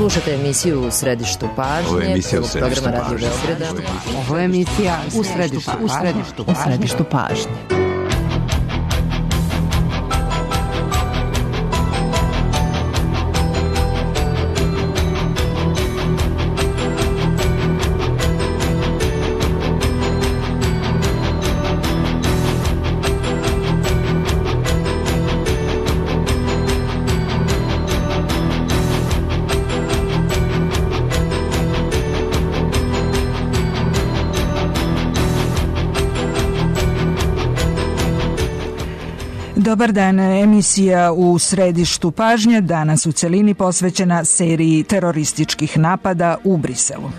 Slušate emisiju U središtu pažnje, programa Radio Beograda. Ovo je emisija U središtu pažnje. Dobar dan, emisija U središtu pažnje danas u celini posvećena seriji terorističkih napada u Briselu.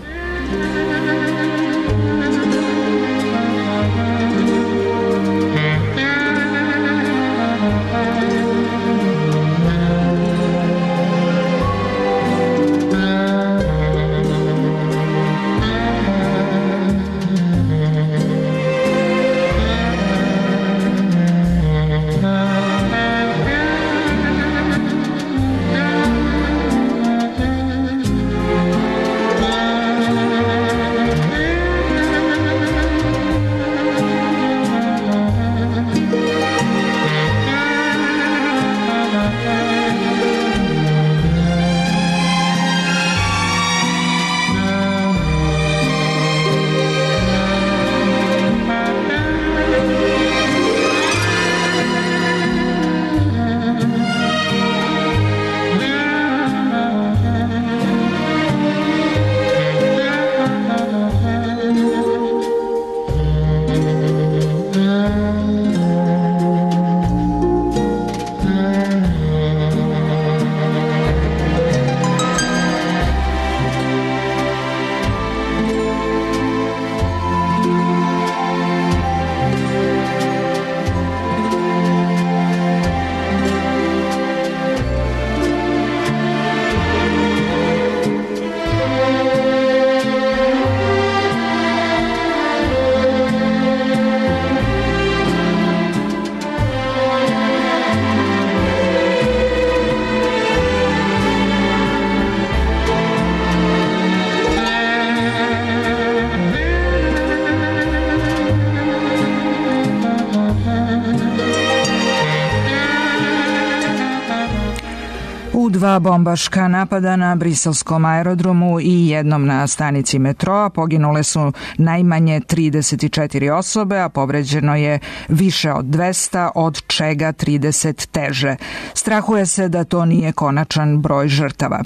Dva bombaška napada na briselskom aerodromu i jednom na stanici metroa. Poginule su najmanje 34 osobe, a povređeno je više od 200, od čega 30 teže. Strahuje se da to nije konačan broj žrtava.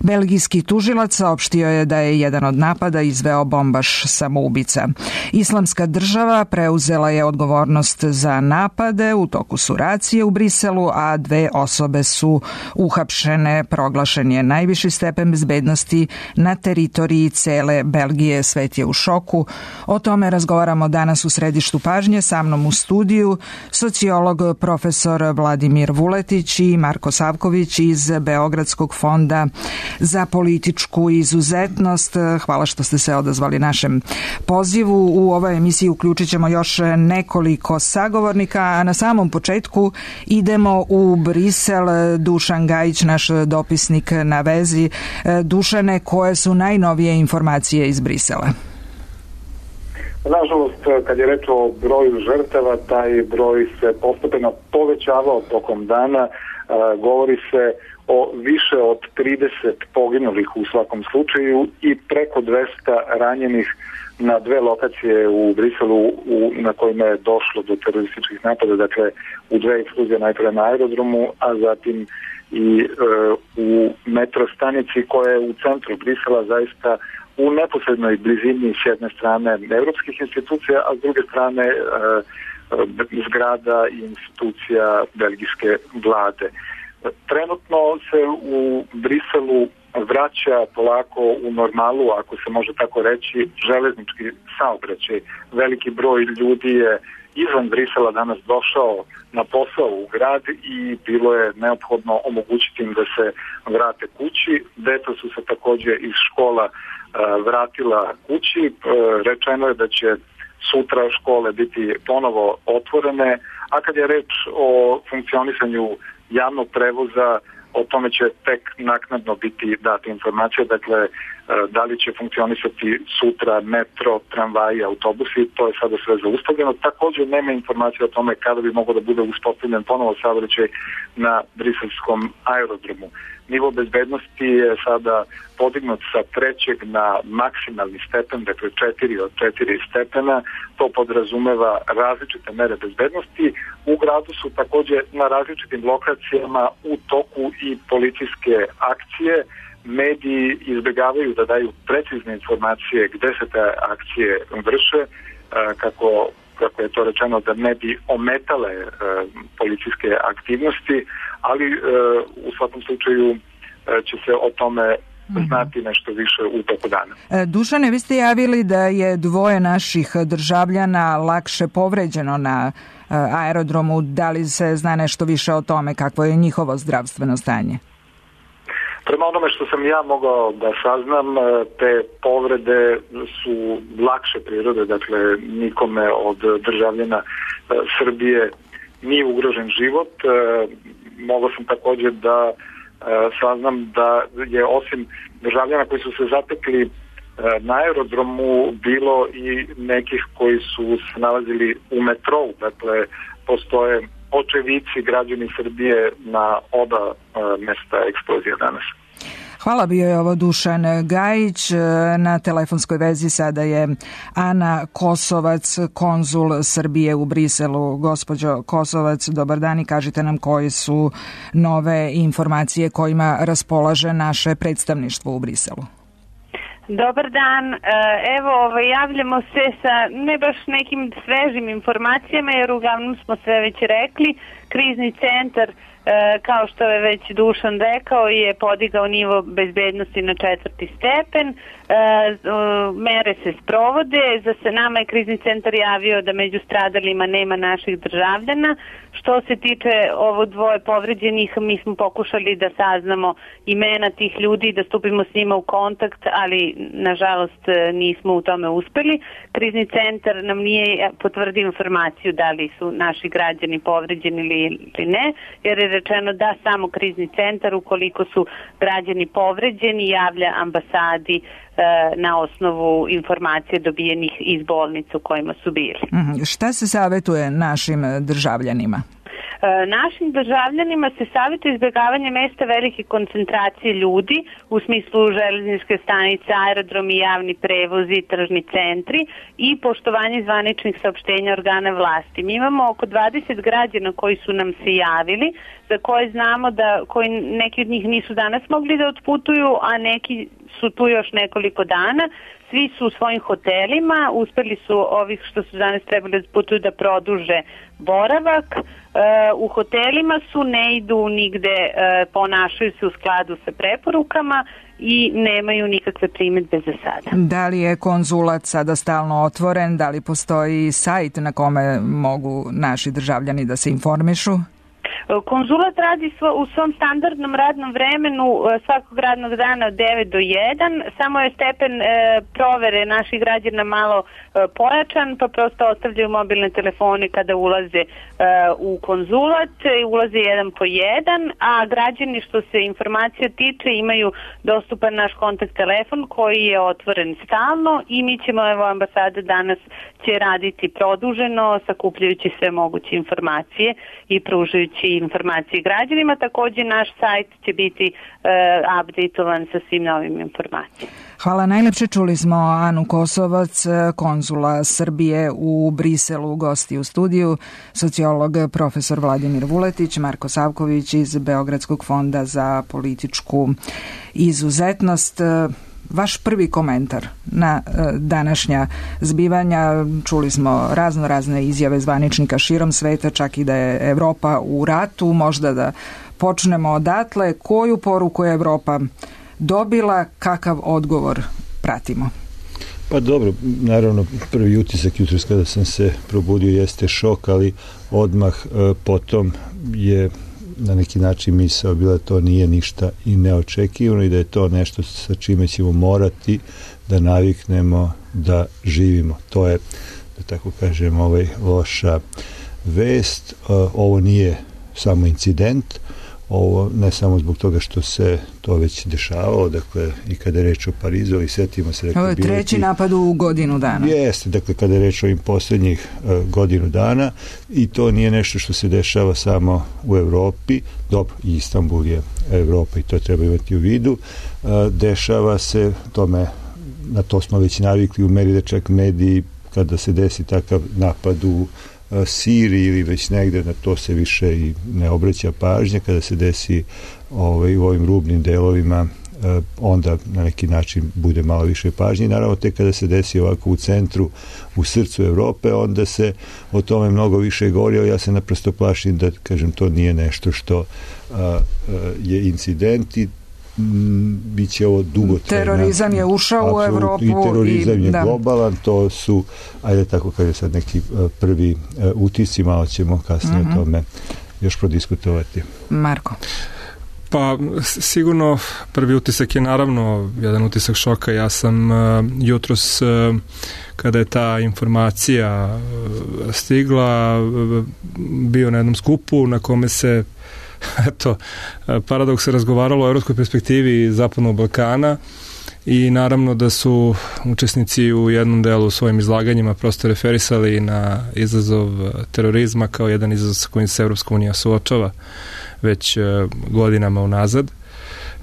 Belgijski tužilac saopštio je da je jedan od napada izveo bombaš samoubica. Islamska država preuzela je odgovornost za napade, u toku su racije u Briselu, a 2 osobe su uhapšene. Proglašen je najviši stepen bezbednosti na teritoriji cele Belgije. Svet je u šoku. O tome razgovaramo danas u središtu pažnje. Sa mnom u studiju sociolog profesor Vladimir Vuletić i Marko Savković iz Beogradskog fonda za političku izuzetnost. Hvala što ste se odazvali našem pozivu. U ovoj emisiji uključit ćemo još nekoliko sagovornika, a na samom početku idemo u Brisel. Dušan Gajić, naš dopisnik na vezi. Dušane, koje su najnovije informacije iz Brisela? Nažalost, kad je reč o broju žrtava, taj broj se postepeno povećavao tokom dana. Govori se o više od 30 poginulih u svakom slučaju i preko 200 ranjenih na 2 lokacije u Briselu na kojima je došlo do terorističkih napada, dakle u 2 eksplozije, najprije na aerodromu, a zatim i u metro stanici koja je u centru Brisela, zaista u neposrednoj blizini s jedne strane evropskih institucija, a s druge strane zgrada i institucija belgijske vlade. Trenutno se u Briselu vraća polako u normalu, ako se može tako reći, železnički saobraćaj. Veliki broj ljudi je izvan Brisela danas došao na posao u grad i bilo je neophodno omogućiti im da se vrate kući. Deca su se također iz škola vratila kući. Rečeno je da će sutra škole biti ponovo otvorene, a kad je reč o funkcionisanju javnog prevoza, o tome će tek naknadno biti date informacije, dakle da li će funkcionisati sutra metro, tramvaji, autobusi, to je sada sve zaustavljeno. Također nema informacije o tome kada bi mogao da bude uspostavljen ponovo saobraćaj na briselskom aerodromu. Nivo bezbednosti je sada podignut sa 3. na maksimalni stepen, dakle 4 od 4 stepena. To podrazumeva različite mere bezbednosti. U gradu su također na različitim lokacijama u toku i policijske akcije. Mediji izbjegavaju da daju precizne informacije gde se te akcije vrše, kako je to rečeno, da ne bi ometale policijske aktivnosti, ali u svakom slučaju će se o tome znati nešto više u toku dana. Dušane, vi ste javili da je 2 naših državljana lakše povređeno na aerodromu. Da li se zna nešto više o tome kakvo je njihovo zdravstveno stanje? Prema onome što sam ja mogao da saznam, te povrede su lakše prirode, dakle nikome od državljana Srbije nije ugrožen život. Mogao sam također da saznam da je osim državljana koji su se zatekli na aerodromu bilo i nekih koji su se nalazili u metrou, dakle postoje očevici građani Srbije na oba mesta eksplozije danas. Hvala, bio je ovo Dušan Gajić. Na telefonskoj vezi sada je Ana Kosovac, konzul Srbije u Briselu. Gospođo Kosovac, dobar dan i kažite nam koje su nove informacije kojima raspolaže naše predstavništvo u Briselu. Dobar dan, evo javljamo se sa ne baš nekim svežim informacijama jer uglavnom smo sve već rekli. Krizni centar, kao što je već Dušan rekao, je podigao nivo bezbednosti na 4. stepen. Mere se sprovode. Za nama je krizni centar javio da među stradalima nema naših državljana. Što se tiče ovo 2 povređenih, mi smo pokušali da saznamo imena tih ljudi, da stupimo s njima u kontakt, ali nažalost nismo u tome uspeli. Krizni centar nam nije potvrdio informaciju da li su naši građani povređeni ili ne, jer je rečeno da samo krizni centar, ukoliko su građani povređeni, javlja ambasadi na osnovu informacije dobijenih iz bolnice u kojima su bili. Šta se savjetuje našim državljanima? Našim državljanima se savjetuje izbjegavanje mesta velike koncentracije ljudi u smislu železničke stanice, aerodromi, javni prevozi, tržni centri i poštovanje zvaničnih saopštenja organa vlasti. Mi imamo oko 20 građana koji su nam se javili, za koje znamo da neki od njih nisu danas mogli da otputuju, a neki su tu još nekoliko dana. Svi su u svojim hotelima, uspeli su ovih što su danas trebali da putuju da produže boravak. U hotelima su, ne idu nigde, ponašaju se u skladu sa preporukama i nemaju nikakve primedbe za sada. Da li je konzulat sada stalno otvoren? Da li postoji sajt na kome mogu naši državljani da se informišu? Konzulat radi u svom standardnom radnom vremenu svakog radnog dana od 9 do 1, samo je stepen provere naših građana malo pojačan, pa prosto ostavljaju mobilne telefone kada ulaze u konzulat, ulaze 1 po 1, a građani što se informacija tiče imaju dostupan naš kontakt telefon koji je otvoren stalno i mi ćemo, evo ambasada danas će raditi produženo, sakupljajući sve moguće informacije i pružajući informacije građanima. Također naš sajt će biti updateovan sa svim novim informacijama. Hvala najlepše. Čuli smo Anu Kosovac, konzula Srbije u Briselu, gosti u studiju, sociolog profesor Vladimir Vuletić, Marko Savković iz Beogradskog fonda za političku izuzetnost. Vaš prvi komentar na današnja zbivanja, čuli smo razne izjave zvaničnika širom sveta, čak i da je Evropa u ratu, možda da počnemo odatle. Koju poruku je Evropa dobila, kakav odgovor pratimo? Pa dobro, naravno prvi utisak jutros kada sam se probudio jeste šok, ali odmah potom je na neki način misao bila to nije ništa i neočekivano i da je to nešto sa čime ćemo morati da naviknemo da živimo. To je, da tako kažem, loša vest. Ovo nije samo incident, ovo ne samo zbog toga što se to već dešavalo, dakle i kada je reč o Parizu, ali setimo se... Ovo je treći napad u godinu dana. Jeste, dakle kada je reč o ovim posljednjih godinu dana i to nije nešto što se dešava samo u Evropi, dobro, i Istanbul je Evropa i to treba imati u vidu, dešava se tome, na to smo već navikli u meri da čak mediji kada se desi takav napad u Siriji ili već negde, na to se više i ne obraća pažnja, kada se desi u ovim rubnim delovima onda na neki način bude malo više pažnje. Naravno, tek kada se desi ovako u centru, u srcu Evrope, onda se o tome mnogo više govori, ali ja se naprosto plašim da, kažem, to nije nešto što je incident i bit će ovo dugotrajno. Terorizam je ušao u Evropu. I terorizam je globalan, to su, ajde tako kaže sad neki prvi utisci, malo ćemo kasnije o tome još prodiskutovati. Marko. Pa sigurno prvi utisak je naravno jedan utisak šoka. Ja sam jutros kada je ta informacija stigla bio na jednom skupu na kome se paradoks se razgovaralo o evropskoj perspektivi Zapadnog Balkana i naravno da su učesnici u jednom delu svojim izlaganjima prosto referisali na izazov terorizma kao jedan izazov sa kojim se Evropska unija suočava već godinama unazad.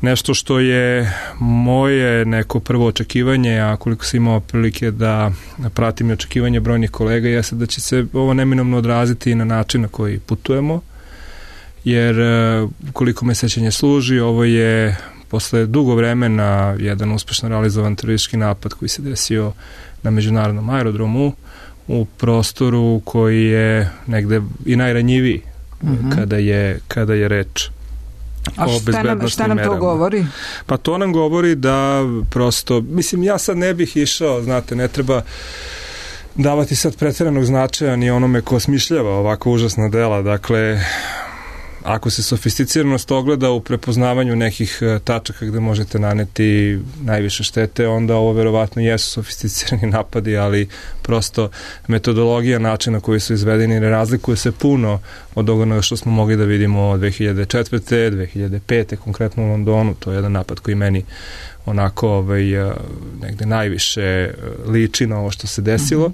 Nešto što je moje neko prvo očekivanje, a koliko sam imao prilike da pratim i očekivanje brojnih kolega, jeste da će se ovo neminovno odraziti na način na koji putujemo, jer koliko me sećanje služi, ovo je posle dugo vremena jedan uspešno realizovan teroristički napad koji se desio na međunarodnom aerodromu u prostoru koji je negde i najranjiviji kada je reč o bezbednostnim merama. Šta nam to govori? Pa to nam govori da prosto, mislim, ja sad ne bih išao, znate, ne treba davati sad pretjeranog značaja ni onome ko smišljava ovako užasna dela, dakle ako se sofisticiranost ogleda u prepoznavanju nekih tačaka gde možete naneti najviše štete, onda ovo verovatno jesu sofisticirani napadi, ali prosto metodologija, način na koji su izvedeni ne razlikuje se puno od onoga što smo mogli da vidimo 2004. 2005. konkretno u Londonu. To je jedan napad koji meni onako negde najviše liči na ovo što se desilo,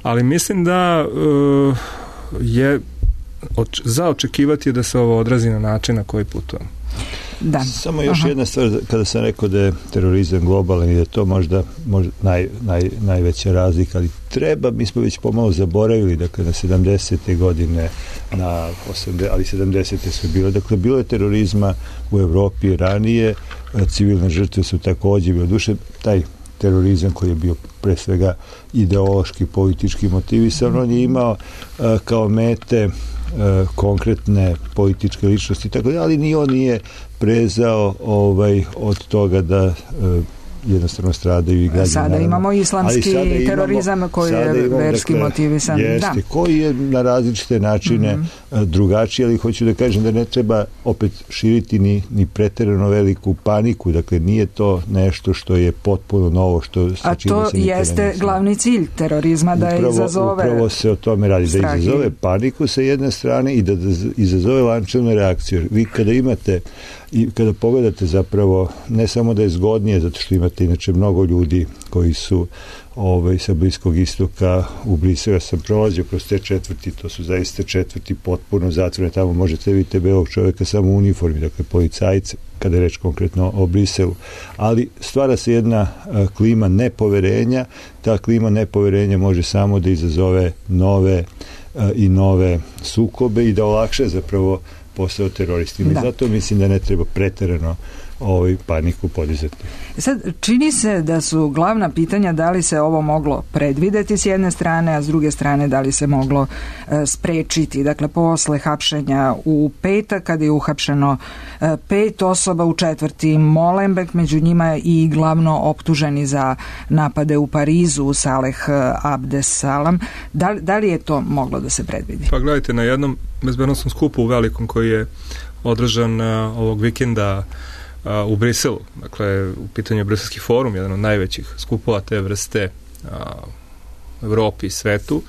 ali mislim da je za očekivati je da se ovo odrazi na način na koji putujemo. Da. Samo još jedna stvar, kada sam rekao da je terorizam globalan i da je to možda najveća razlika, ali mi smo već pomalo zaboravili, dakle na 70. godine, na 80. ali 70. su bile, dakle bilo je terorizma u Evropi ranije, civilne žrtve su takođe bile, duše taj terorizam koji je bio pre svega ideološki, politički motivisan, on je imao kao mete konkretne političke ličnosti, tako da, ali ni on nije prezao od toga da jednostavno stradaju i građani. Sada imamo islamski terorizam koji je verski motivisan. Jeste, koji je na različite načine drugačiji, ali hoću da kažem da ne treba opet širiti ni preterano veliku paniku, dakle nije to nešto što je potpuno novo, a to jeste glavni cilj terorizma, da izazove upravo se o tome radi, da izazove paniku sa jedne strane i da izazove lančanu reakciju. Vi kada imate i kada pogledate zapravo, ne samo da je zgodnije, zato što imate inače mnogo ljudi koji su sa Bliskog istoka u Briselu, ja sam prolazio kroz te četvrti, to su zaista četvrti potpuno zatvorene, tamo možete vidjeti belog čovjeka samo u uniformi, dakle policajce, kada je reč konkretno o Briselu, ali stvara se jedna klima nepoverenja, ta klima nepoverenja može samo da izazove nove sukobe i da olakša zapravo posao teroristima. I zato mislim da ne treba preterano paniku podizati. Sad, čini se da su glavna pitanja da li se ovo moglo predvideti s jedne strane, a s druge strane da li se moglo sprečiti. Dakle, posle hapšenja u petak, kada je uhapšeno 5 osoba, u četvrti Molenbeek, među njima i glavno optuženi za napade u Parizu, Saleh Abdesalam. Da li je to moglo da se predvidi? Pa gledajte, na jednom bezbednosnom skupu u velikom koji je održan ovog vikenda u Briselu, dakle u pitanju je Briselski forum, jedan od najvećih skupova te vrste Evropi i svetu.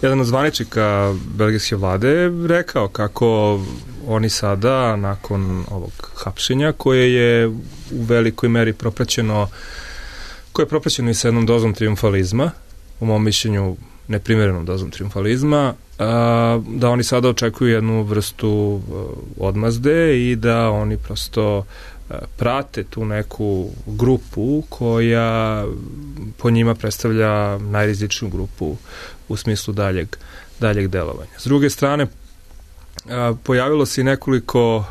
Jedan od zvaničnika belgijske vlade je rekao kako oni sada, nakon ovog hapšenja, koje je u velikoj meri propraćeno i sa jednom dozom trijumfalizma, u mom mišljenju neprimjerenom dozom trijumfalizma, da oni sada očekuju jednu vrstu odmazde i da oni prosto prate tu neku grupu koja po njima predstavlja najrizičniju grupu u smislu daljeg delovanja. S druge strane, pojavilo se i nekoliko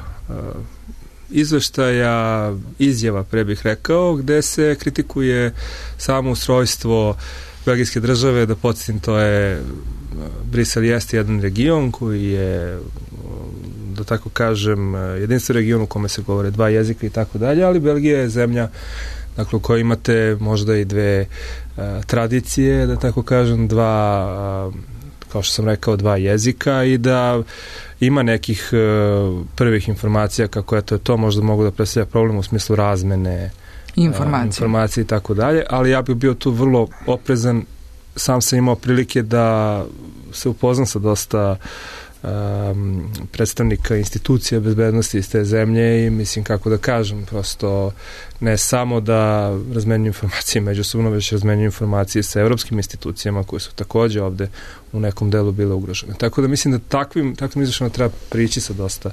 izveštaja, izjava, pre bih rekao, gde se kritikuje samo ustrojstvo belgijske države. Da podsjetim, to je Brisel jeste jedan region koji je, da tako kažem, jedinstven region u kome se govore dva jezika i tako dalje, ali Belgija je zemlja, dakle, u kojoj imate možda i dve tradicije, da tako kažem, kao što sam rekao, dva jezika, i da ima nekih prvih informacija kako je to možda mogu da predstavlja problem u smislu razmene informacije i tako dalje, ali ja bih bio tu vrlo oprezan. Sam sam imao prilike da se upoznam sa dosta predstavnika institucija bezbednosti iz te zemlje i mislim, kako da kažem, prosto ne samo da razmenjuju informacije međusobno, već razmenjuju informacije sa evropskim institucijama koje su takođe ovde u nekom delu bile ugrožene. Tako da mislim da takvim izvršama treba prići sa dosta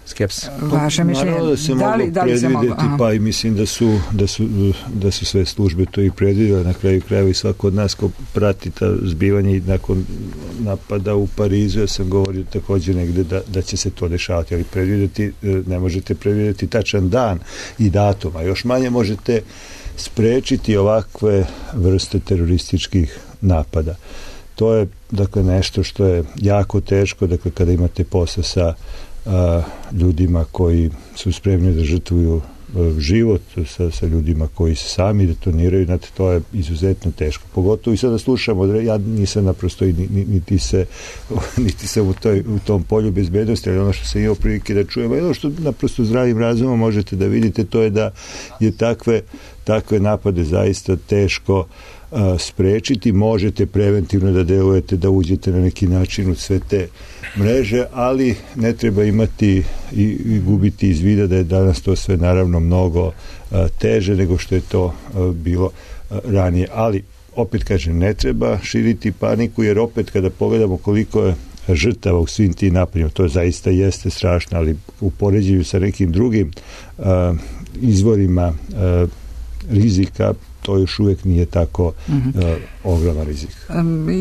skepse. Vaše mišljenje? Naravno da se moglo predvidjeti, pa i mislim da su sve službe to i predvidjeli. Na kraju krajeva i svako od nas ko prati ta zbivanja i nakon napada u Parizu, ja sam govorio također negde da će se to dešavati, ali predvidjeti, ne možete predvidjeti tačan dan i datum, a još manje možete sprečiti ovakve vrste terorističkih napada. To je, dakle, nešto što je jako teško, dakle, kada imate posla sa ljudima koji su spremni da žrtvuju život, sa ljudima koji se sami detoniraju, znate, to je izuzetno teško. Pogotovo i sada slušamo, ja nisam naprosto niti sam u tom polju bezbednosti, ali ono što sam imao prilike da čujem, ono što naprosto zdravim razumom možete da vidite, to je da je takve napade zaista teško sprečiti. Možete preventivno da delujete, da uđete na neki način u sve te mreže, ali ne treba imati i gubiti iz vida da je danas to sve naravno mnogo teže nego što je to bilo ranije. Ali, opet kažem, ne treba širiti paniku, jer opet kada pogledamo koliko je žrtava u svim tim napadima, to zaista jeste strašno, ali u poređenju sa nekim drugim izvorima rizika, to još uvijek nije tako ogroman rizik.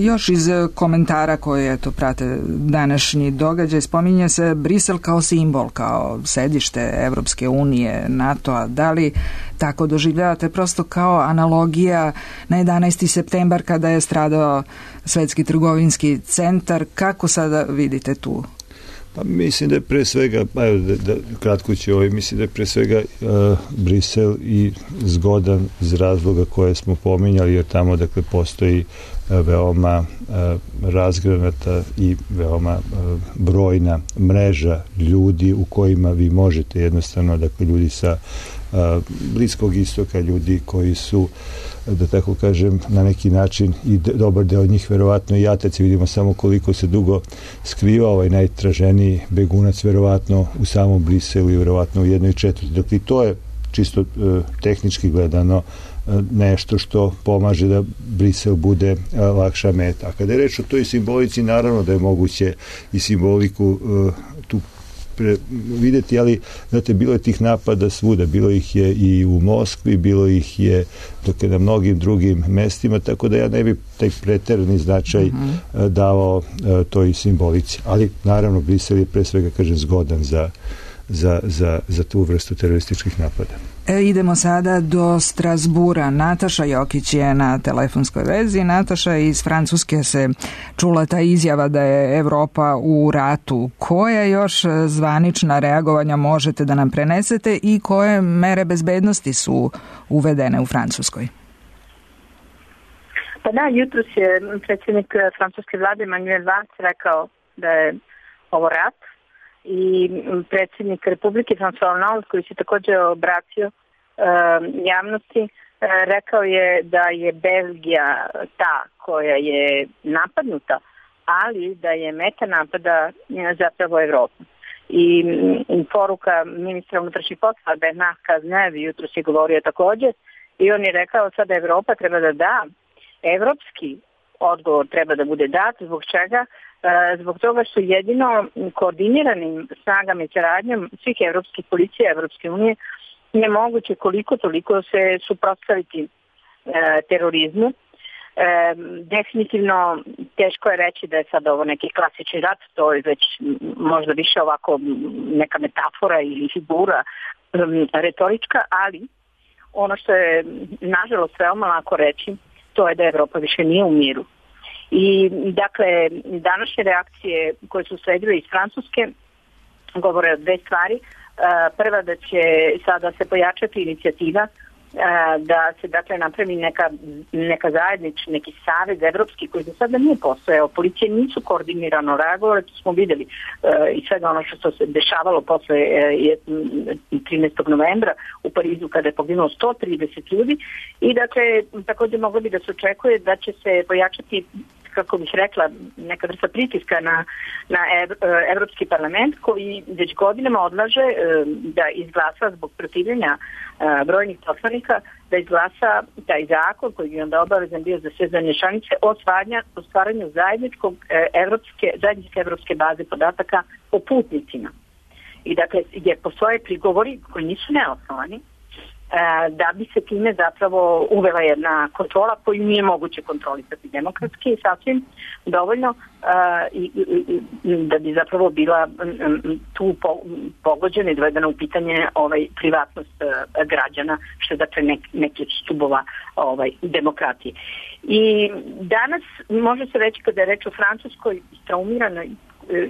Još iz komentara koje prate današnji događaj, spominje se Brisel kao simbol, kao sedište Evropske unije, NATO-a. Da li tako doživljavate, prosto kao analogija na 11. septembar kada je stradao Svetski trgovinski centar? Kako sada vidite tu? Pa mislim da je pre svega, kratko ću mislim da je pre svega Brisel i zgodan iz razloga koje smo pominjali, jer tamo, dakle, postoji veoma razgranata i veoma brojna mreža ljudi u kojima vi možete jednostavno, dakle, ljudi sa Bliskog istoka, ljudi koji su, da tako kažem, na neki način i dobar deo njih verovatno i jataci, vidimo samo koliko se dugo skriva ovaj najtraženiji begunac verovatno u samom Briselu i verovatno u 1/4. Dakle, to je čisto tehnički gledano nešto što pomaže da Brisel bude lakša meta. A kada je reč o toj simbolici, naravno da je moguće i simboliku tu vidjeti, ali znate, bilo je tih napada svuda, bilo ih je i u Moskvi, bilo ih je na mnogim drugim mestima, tako da ja ne bi taj preterani značaj davao toj simbolici. Ali naravno Brisel je pre svega, kažem, zgodan za tu vrstu terorističkih napada. Idemo sada do Strasbura. Nataša Jokić je na telefonskoj vezi. Nataša, iz Francuske se čula ta izjava da je Evropa u ratu. Koje još zvanična reagovanja možete da nam prenesete i koje mere bezbednosti su uvedene u Francuskoj? Pa da, jutros je predsjednik francuske vlade Emmanuel Valls rekao da je ovo rat. I predsjednik Republike François Hollande, koji se također obratio javnosti, rekao je da je Belgija ta koja je napadnuta, ali da je meta napada zapravo Evropa. I poruka ministra unutrašnjih poslova Bernard Cazeneuve jutro se govorio također i on je rekao sada Evropa treba da da, evropski odgovor treba da bude dat. Zbog čega? Zbog toga što jedino koordiniranim snagama i saradnjom svih evropskih policija Evropske unije je moguće koliko toliko se suprotstaviti terorizmu. Definitivno teško je reći da je sad ovo neki klasični rat, to je već možda više ovako neka metafora ili figura retorička, ali ono što je nažalost veoma lako reći, to je da Evropa više nije u miru. I dakle, današnje reakcije koje su sledile iz Francuske govore o dve stvari. Prva, da će sada se pojačati inicijativa da se dakle napravi neka neki savez evropski koji do sada nije postojao. Policije nisu koordinirano reagovale, to smo videli i svega ono što se dešavalo posle 13. novembra u Parizu kada je poginulo 130 ljudi i dakle također moglo bi da se očekuje da će se pojačati, kako bih rekla, neka vrsta pritiska na Evropski parlament koji već godinama odlaže da izglasa zbog protivljenja brojnih poslanika, da izglasa taj zakon koji je onda obavezan bio za sve zemlje članice o stvaranju zajedničke evropske baze podataka o putnicima. I dakle, jer postoje prigovori koji nisu neosnovani, da bi se time zapravo uvela jedna kontrola koju nije moguće kontrolisati demokratski i sasvim dovoljno da bi zapravo bila tu pogođena i dovedena u pitanje privatnost građana, što je dakle neki od stubova demokratije. I danas može se reći kada je reč o Francuskoj traumiranoj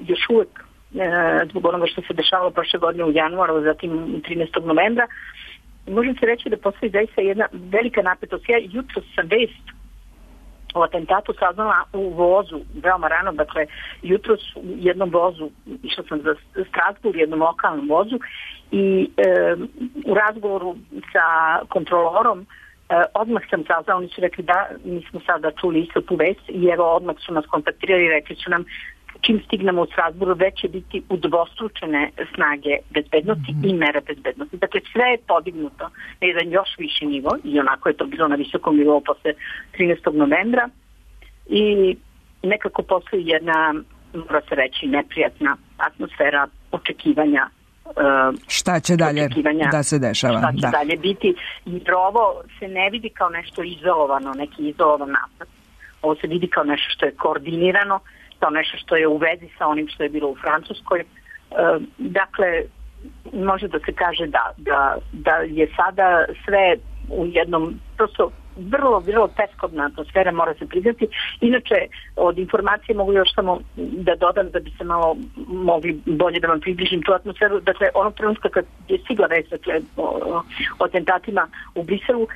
još uvek zbog onoga što se dešavalo prošle godine u januaru, zatim 13. novembra, može se reći da postoji zaista jedna velika napetost. Ja jutro sam vest o atentatu saznala u vozu, veoma rano, dakle jutro u jednom vozu, išla sam za Strasbourg, jednom lokalnom vozu i u razgovoru sa kontrolorom odmah sam saznala, oni su rekli da mi smo sada čuli isto tu vest i evo odmah su nas kontaktirali i rekli su nam čim stignemo u Strasbourgu već će biti udvostručene snage bezbednosti i mere bezbednosti. Dakle, sve je podignuto na jedan još viši nivo i onako je to bilo na visokom nivou posle 13. novembra i nekako postoji jedna, mora se reći, neprijatna atmosfera očekivanja. Šta će dalje da se dešava? Šta će dalje biti? Jer ovo se ne vidi kao nešto izolovano, neki izolovan napad. Ovo se vidi kao nešto što je koordinirano, kao nešto što je u vezi sa onim što je bilo u Francuskoj. Dakle, može da se kaže da je sada sve u jednom prosto vrlo, vrlo teskobna atmosfera, mora se priznati. Inače, od informacije mogu još samo da dodam da bi se malo mogli bolje da vam približim tu atmosferu. Dakle, onog trenutka kad je stigla vest o atentatima u Briselu,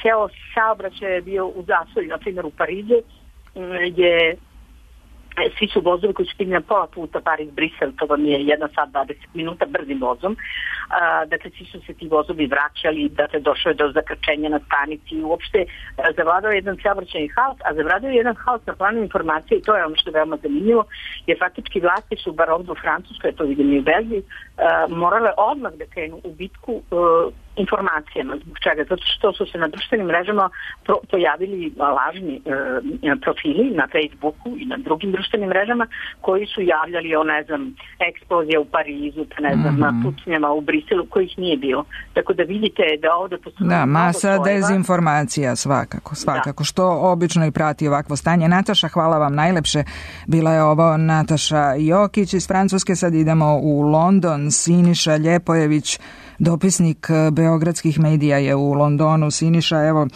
ceo saobraćaj je bio u zastoju, na primjer u Parizu je svi su vozovi koji su stigli na pola puta Pariz-Brisel, to vam je 1 sat 20 minuta brzim vozom. Dakle, svi su se ti vozovi vraćali, dakle, došlo je do zakrčenja na stanici i uopšte zavladao jedan saobraćajni haos, a zavladao je jedan haos na planu informacije i to je ono što je veoma zanimljivo, jer faktički vlasti su, bar ovdje u Francuskoj, to vidim i u Belgiji, morale odmah da krenu u bitku informacijama. Zbog čega? Zato što su se na društvenim mrežama pojavili lažni profili na Facebooku i na drugim društvenim mrežama koji su javljali o, eksplozija u Parizu, pucnjama u Briselu, kojih nije bilo. Tako da vidite da ovdje postoji... Da, masa dezinformacija svakako, što obično i prati ovakvo stanje. Nataša, hvala vam najlepše. Bila je ovo Nataša Jokić iz Francuske. Sad idemo u London. Siniša Ljepojević, dopisnik beogradskih medija, je u Londonu. Siniša, evo,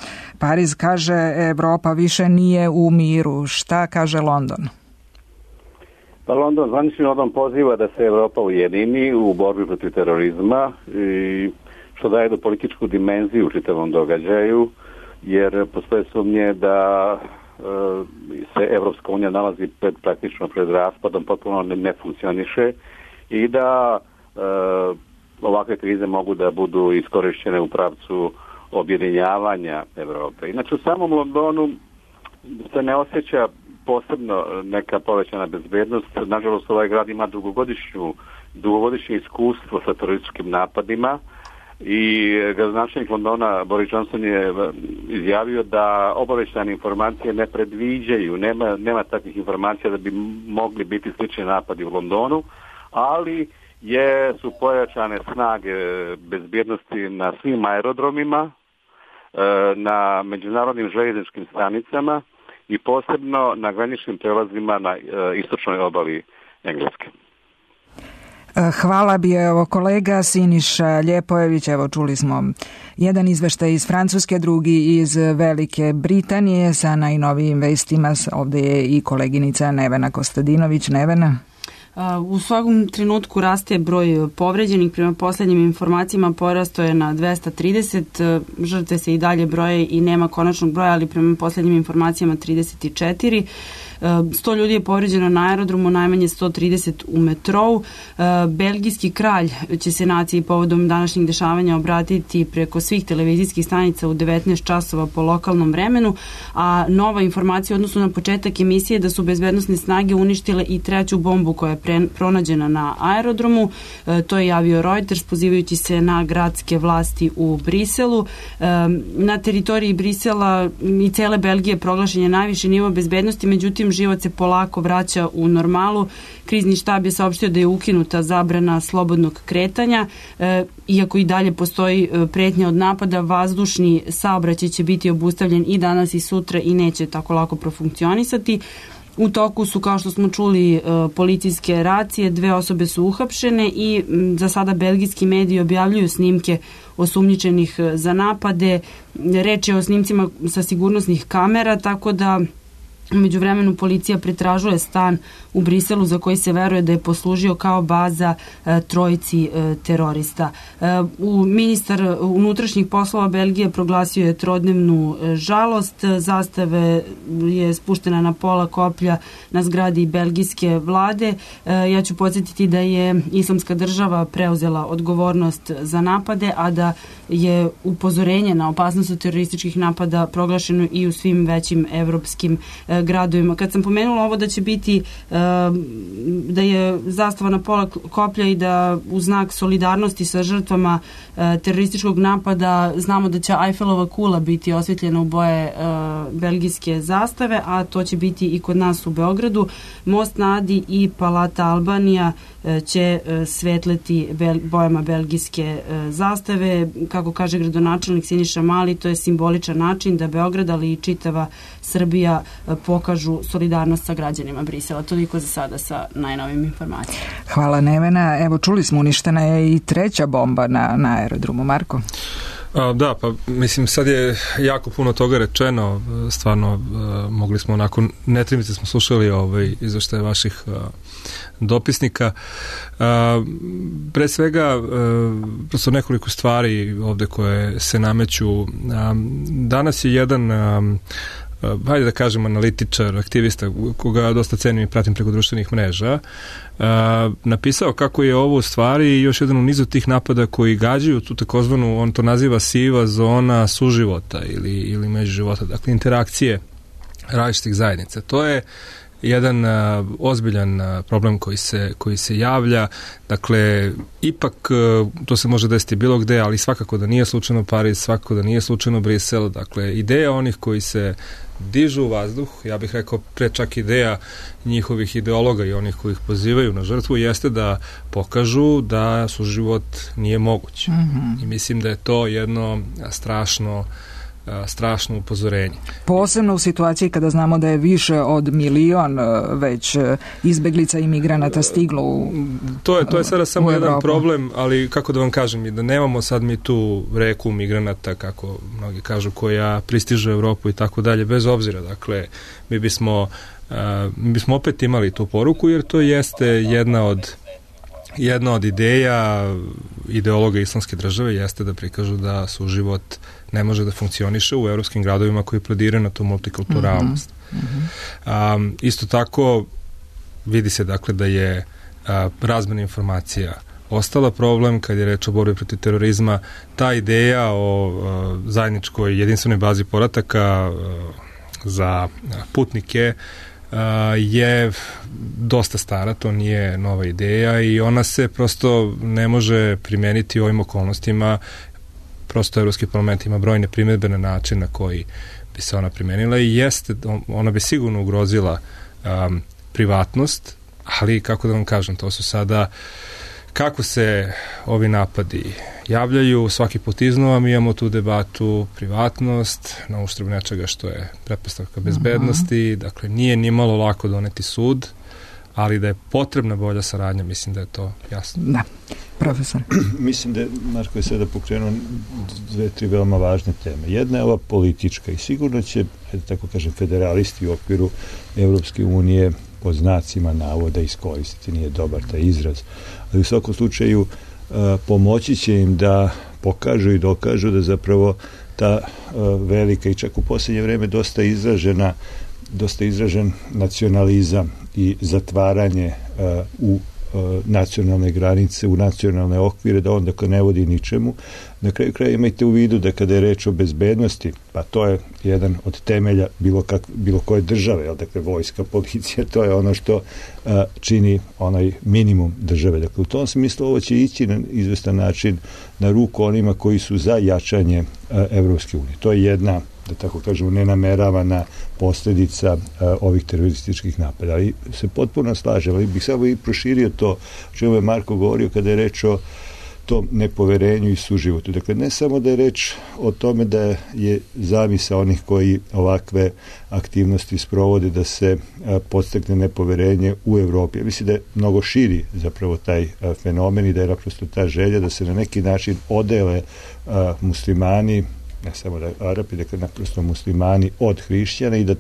Pariz kaže Evropa više nije u miru. Šta kaže London? Pa London zvanično poziva da se Evropa ujedini u borbi protiv terorizma, i što daje do političku dimenziju u čitavom događaju, jer postoje sumnje da se Evropska unija nalazi praktično pred raspadom, potpuno ne funkcioniše i da ovakve krize mogu da budu iskorišćene u pravcu objedinjavanja Evrope. Inače, u samom Londonu se ne osjeća posebno neka povećana bezbednost. Nažalost, ovaj grad ima dugogodišnje iskustvo sa terorističkim napadima i gradonačelnik Londona Boris Johnson je izjavio da obavještajne informacije ne predviđaju, nema takvih informacija da bi mogli biti slični napadi u Londonu, ali su pojačane snage bezbjednosti na svim aerodromima, na međunarodnim željezničkim stanicama i posebno na graničnim prelazima na istočnoj obali Engleske. Hvala bi kolega Siniša Ljepojević. Evo, čuli smo jedan izveštaj iz Francuske, drugi iz Velike Britanije sa najnovijim vestima. Ovde je i koleginica Nevena Kostadinović. Nevena? U svakom trenutku raste broj povređenih. Prema poslednjim informacijama porasto je na 230. Žrtve se i dalje broje i nema konačnog broja, ali prema poslednjim informacijama 34. 100 ljudi je povređeno na aerodromu, najmanje 130 u metrou. Belgijski kralj će se naciji povodom današnjih dešavanja obratiti preko svih televizijskih stanica u 19 časova po lokalnom vremenu, a nova informacija odnosno na početak emisije da su bezbednosne snage uništile i treću bombu koja je pronađena na aerodromu. To je javio Reuters pozivajući se na gradske vlasti u Briselu. Na teritoriji Brisela i cele Belgije proglašen je najviši nivo bezbednosti, međutim život se polako vraća u normalu. Krizni štab je saopštio da je ukinuta zabrana slobodnog kretanja. Iako i dalje postoji pretnja od napada, vazdušni saobraćaj će biti obustavljen i danas i sutra i neće tako lako profunkcionisati. U toku su, kao što smo čuli, policijske racije, 2 osobe su uhapšene i za sada belgijski mediji objavljuju snimke osumnjičenih za napade. Reč je o snimcima sa sigurnosnih kamera, tako da u međuvremenu policija pretražuje stan u Briselu za koji se veruje da je poslužio kao baza trojici terorista. Ministar unutrašnjih poslova Belgije proglasio je trodnevnu žalost. Zastave je spuštena na pola koplja na zgradi belgijske vlade. Ja ću podsjetiti da je Islamska država preuzela odgovornost za napade, a da je upozorenje na opasnost od terorističkih napada proglašeno i u svim većim evropskim gradovima. Kad sam pomenula ovo da će biti da je zastava na pola koplja i da u znak solidarnosti sa žrtvama terorističkog napada znamo da će Eiffelova kula biti osvetljena u boje belgijske zastave, a to će biti i kod nas u Beogradu. Most na Adi i Palata Albanija će svetleti bojama belgijske zastave. Kako kaže gradonačelnik Siniša Mali, to je simboličan način da Beograd, ali i čitava Srbija pokažu solidarnost sa građanima Brisela. Toliko za sada sa najnovim informacijama. Hvala, Nevena. Evo, čuli smo, uništena je i treća bomba na aerodromu. Marko? Da, pa mislim sad je jako puno toga rečeno, stvarno mogli smo onako, netrimice smo slušali izveštaje vaših dopisnika. Pre svega, prosto nekoliko stvari ovde koje se nameću. Danas je jedan hajde da kažem analitičar, aktivista koga dosta cenim i pratim preko društvenih mreža, napisao kako je ovo u stvari još jedan u nizu tih napada koji gađaju tu takozvanu, on to naziva siva zona suživota ili međuživota, dakle interakcije različitih zajednica. To je jedan ozbiljan problem koji se javlja. Dakle, ipak to se može desiti bilo gde, ali svakako da nije slučajno Pariz, svakako da nije slučajno Brisel. Dakle, ideja onih koji se dižu u vazduh, ja bih rekao pre čak ideja njihovih ideologa i onih koji ih pozivaju na žrtvu, jeste da pokažu da suživot nije moguć. I mislim da je to jedno strašno upozorenje. Posebno u situaciji kada znamo da je više od 1 milion već izbeglica i migranata stiglo u To je sada samo jedan problem, ali kako da vam kažem, da nemamo sad mi tu reku migranata, kako mnogi kažu, koja pristiže u Evropu i tako dalje, bez obzira. Dakle, mi bismo opet imali tu poruku, jer to jeste jedna od ideologa islamske države jeste da prikažu da suživot ne može da funkcioniše u evropskim gradovima koji plediraju na tu multikulturalnost. Isto tako vidi se dakle da je razmena informacija ostala problem kad je reč o borbi protiv terorizma. Ta ideja o zajedničkoj jedinstvenoj bazi podataka za putnike je dosta stara, to nije nova ideja i ona se prosto ne može primeniti u ovim okolnostima. Prosto Evropski parlament ima brojne primjedbe na način na koji bi se ona primenila i jeste, ona bi sigurno ugrozila privatnost, ali kako da vam kažem, to su sada kako se ovi napadi javljaju, svaki put iznova mi imamo tu debatu privatnost na uštrb nečega što je pretpostavka bezbednosti, dakle nije ni malo lako doneti sud, ali da je potrebna bolja saradnja, mislim da je to jasno. Da, profesor. Mislim da je Marko je sada pokrenuo 2-3 veoma važne teme. Jedna je ova politička i sigurno će, tako kažem, federalisti u okviru Evropske unije pod znacima navoda iskoristiti, nije dobar taj izraz, ali u svakom slučaju pomoći će im da pokažu i dokažu da zapravo ta velika i čak u posljednje vreme dosta izražen nacionalizam i zatvaranje u nacionalne granice, u nacionalne okvire, da on dakle ne vodi ničemu. Na kraju kraja imajte u vidu da kada je reč o bezbednosti, pa to je jedan od temelja bilo koje države, dakle vojska, policija, to je ono što čini onaj minimum države. Dakle, u tom smislu ovo će ići na izvestan način na ruku onima koji su za jačanje Evropske unije. To je jedna, da tako kažemo, nenameravana posljedica ovih terorističkih napada. Ali se potpuno slažem, ali bih samo i proširio to o čemu je Marko govorio kada je reč o tom nepoverenju i suživotu. Dakle, ne samo da je reč o tome da je zamisao onih koji ovakve aktivnosti sprovode da se podstakne nepoverenje u Evropi. Ja mislim da je mnogo širi zapravo taj fenomen i da je naprosto ta želja da se na neki način odele muslimani, ne samo da Arapi, dakle naprosto muslimani od hrišćana i da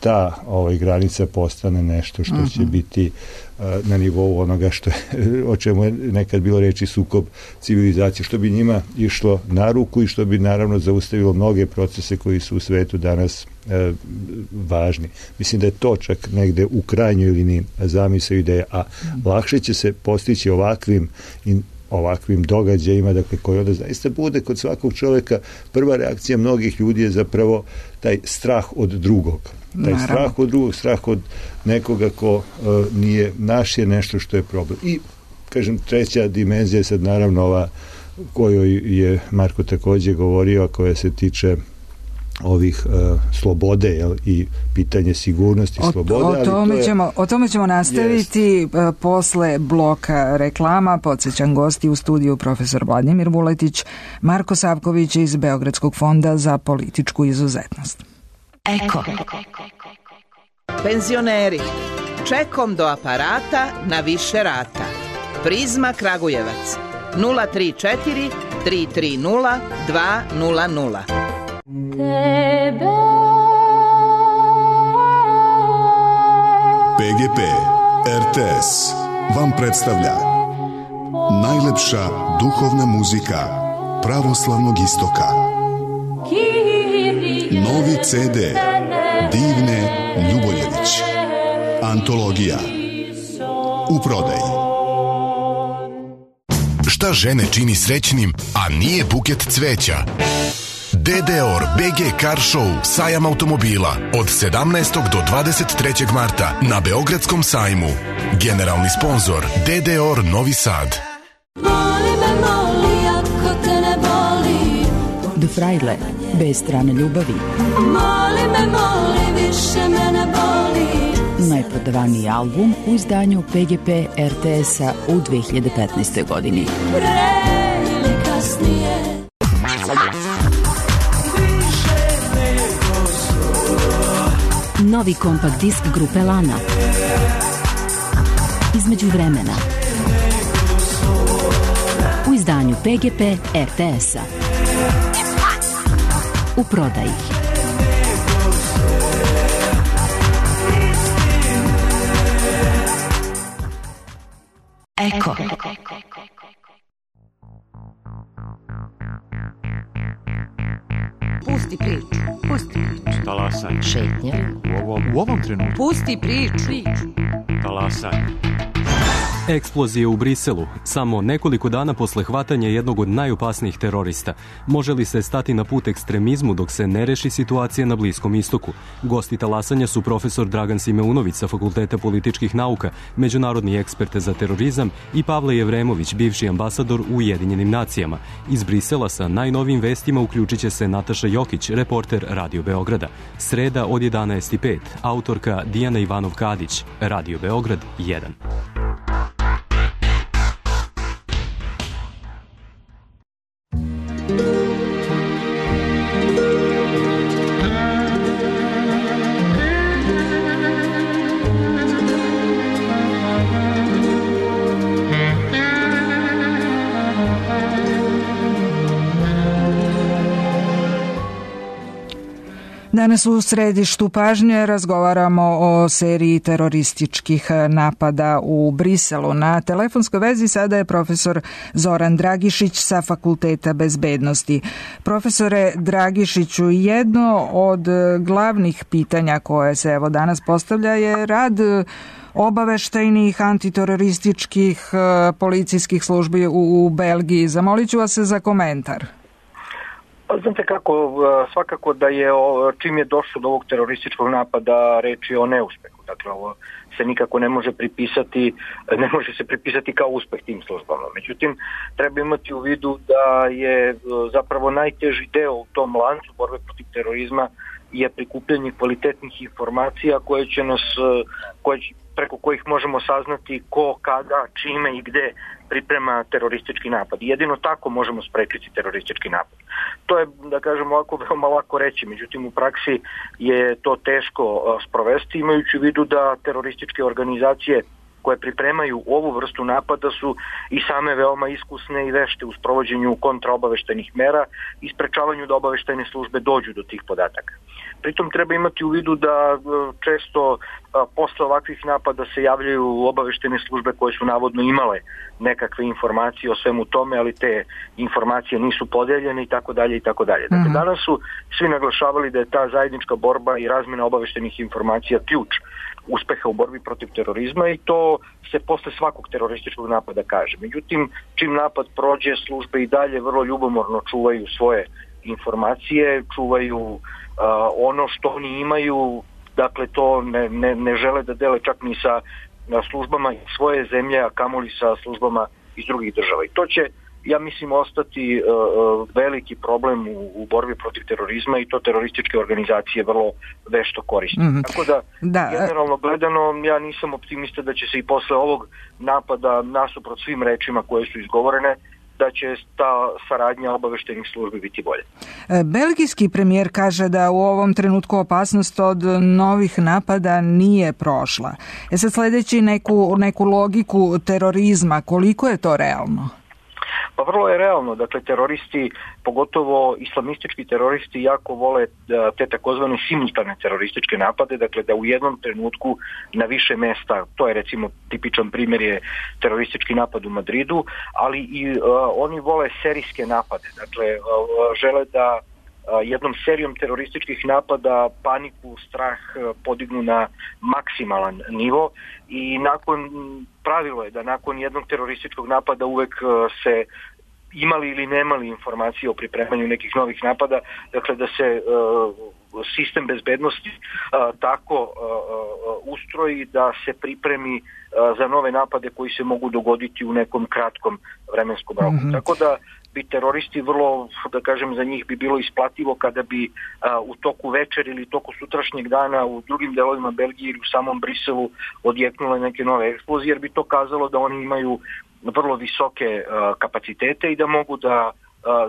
ta granica postane nešto što će biti na nivou onoga što je, o čemu je nekad bilo reči sukob civilizacije, što bi njima išlo na ruku i što bi naravno zaustavilo mnoge procese koji su u svetu danas važni. Mislim da je to čak negde u krajnjoj liniji zamisao ideja, a lakše će se postići ovakvim događajima, dakle, koji onda zaista bude kod svakog čovjeka. Prva reakcija mnogih ljudi je zapravo taj strah od drugog. Taj strah od drugog, strah od nekoga ko nije naš je nešto što je problem. I, kažem, treća dimenzija je sad naravno ova kojoj je Marko također govorio, a koja se tiče ovih slobode i pitanje sigurnosti slobode. O tome ćemo nastaviti posle bloka reklama. Podsjećam, gosti u studiju profesor Vladimir Vuletić, Marko Savković iz Beogradskog fonda za političku izuzetnost. Eko. Penzioneri, čekom do aparata na više rata. Prizma Kragujevac 034 330 200. PGP RTS vam predstavlja najlepša duhovna muzika pravoslavnog istoka. Novi CD Divne Ljuboljević. Antologija u prodaji. Šta žene čini srećnim, a nije buket cveća? DDOR BG Car Show sajam automobila od 17. do 23. marta na Beogradskom sajmu. Generalni sponzor DDOR Novi Sad. Moli me, moli, ako te ne boli. Do Frajle, bez strane ljubavi. Moli me, moli, više me ne boli. Najprodavaniji album u izdanju PGP RTS-a u 2015. godini. Pre ili kasnije. Novi kompakt disk grupe Lana. Između vremena. U izdanju PGP RTS-a. U prodaji. Eko. Pusti priču. Pusti priču. Talasaj. Šetnja. U ovom trenutku. Pusti priču. Talasaj. Eksplozije u Briselu, samo nekoliko dana posle hvatanja jednog od najopasnijih terorista. Može li se stati na put ekstremizmu dok se ne reši situacija na Bliskom istoku? Gosti talasanja su profesor Dragan Simeunović sa Fakulteta političkih nauka, međunarodni ekspert za terorizam i Pavle Jevremović, bivši ambasador u Ujedinjenim nacijama. Iz Brisela sa najnovijim vestima uključit će se Nataša Jokić, reporter Radio Beograda. Sreda od 11:05, autorka Dijana Ivanov-Kadić, Radio Beograd 1. Danas u središtu pažnje razgovaramo o seriji terorističkih napada u Briselu. Na telefonskoj vezi sada je profesor Zoran Dragišić sa Fakulteta bezbednosti. Profesore Dragišiću, jedno od glavnih pitanja koje se evo danas postavlja je rad obaveštajnih antiterorističkih policijskih službi u Belgiji. Zamolit ću vas za komentar. Znate kako, svakako da je čim je došlo do ovog terorističkog napada reč je o neuspehu. Dakle, ovo se nikako ne može se pripisati kao uspeh tim službama. Međutim, treba imati u vidu da je zapravo najteži deo u tom lancu borbe protiv terorizma je prikupljanje kvalitetnih informacija preko kojih možemo saznati ko, kada, čime i gde priprema teroristički napad. Jedino tako možemo sprečiti teroristički napad. To je, da kažem ovako, veoma lako reći, međutim u praksi je to teško sprovesti, imajući u vidu da terorističke organizacije koje pripremaju ovu vrstu napada su i same veoma iskusne i vešte u sprovođenju kontraobaveštajnih mera i sprečavanju da obaveštajne službe dođu do tih podataka. Pritom treba imati u vidu da često posle ovakvih napada se javljaju obaveštajne službe koje su navodno imale nekakve informacije o svemu tome, ali te informacije nisu podeljene i tako dalje i tako dalje. Dakle, danas su svi naglašavali da je ta zajednička borba i razmjena obaveštajnih informacija ključ uspeha u borbi protiv terorizma i to se posle svakog terorističkog napada kaže. Međutim, čim napad prođe, službe i dalje vrlo ljubomorno čuvaju svoje informacije, čuvaju ono što oni imaju, dakle to ne žele da dele čak ni sa službama svoje zemlje, a kamoli sa službama iz drugih država. I to će, ja mislim, ostati veliki problem u borbi protiv terorizma i to terorističke organizacije vrlo vešto koriste. Tako da, generalno gledano, ja nisam optimista da će se i posle ovog napada, nasuprot svim rečima koje su izgovorene, da će ta saradnja obaveštajnih službi biti bolje. Belgijski premijer kaže da u ovom trenutku opasnost od novih napada nije prošla. Sad sledeći neku logiku terorizma, koliko je to realno? Pa vrlo je realno, dakle teroristi, pogotovo islamistički teroristi jako vole te takozvane simultane terorističke napade, dakle da u jednom trenutku na više mesta, to je recimo tipičan primjer je teroristički napad u Madridu, ali i oni vole serijske napade, dakle žele da jednom serijom terorističkih napada paniku, strah podignu na maksimalan nivo i pravilo je da nakon jednog terorističkog napada uvek se imali ili nemali informacije o pripremanju nekih novih napada, dakle da se sistem bezbednosti tako ustroji da se pripremi za nove napade koji se mogu dogoditi u nekom kratkom vremenskom roku. Tako da bi teroristi vrlo, da kažem, za njih bi bilo isplativo kada bi u toku večer ili toku sutrašnjeg dana u drugim delovima Belgije ili u samom Briselu odjeknule neke nove eksplozije, jer bi to kazalo da oni imaju vrlo visoke kapacitete i da mogu da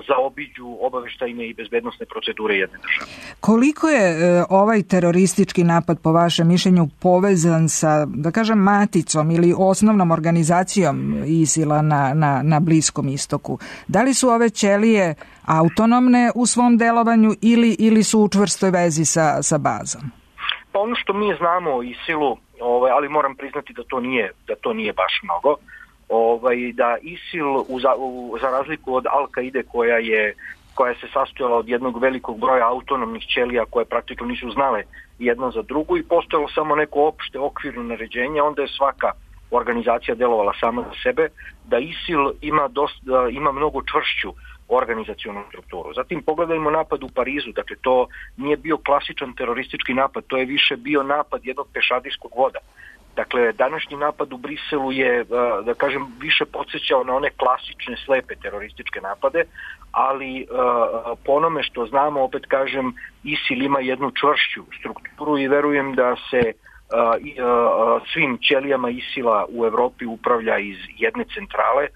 zaobiđu obaveštajne i bezbednosne procedure jedne države. Koliko je ovaj teroristički napad po vašem mišljenju povezan sa, da kažem, maticom ili osnovnom organizacijom ISIL-a na Bliskom istoku? Da li su ove ćelije autonomne u svom delovanju ili su u čvrstoj vezi sa bazom? Pa ono što mi znamo o ISIL-u, ali moram priznati da to nije baš mnogo, da ISIL za razliku od Al-Kaide koja se sastojala od jednog velikog broja autonomnih ćelija koje praktično nisu znale jedna za drugu i postojalo samo neko opšte okvirno naređenje, onda je svaka organizacija delovala sama za sebe, da ISIL ima mnogo čvršću organizacionu strukturu. Zatim pogledajmo napad u Parizu, dakle to nije bio klasičan teroristički napad, to je više bio napad jednog pešadijskog voda. Dakle, današnji napad u Briselu je, da kažem, više podsjećao na one klasične slepe terorističke napade, ali po onome što znamo, opet kažem, ISIL ima jednu čvršću strukturu i verujem da se svim ćelijama ISIL-a u Evropi upravlja iz jedne centrale.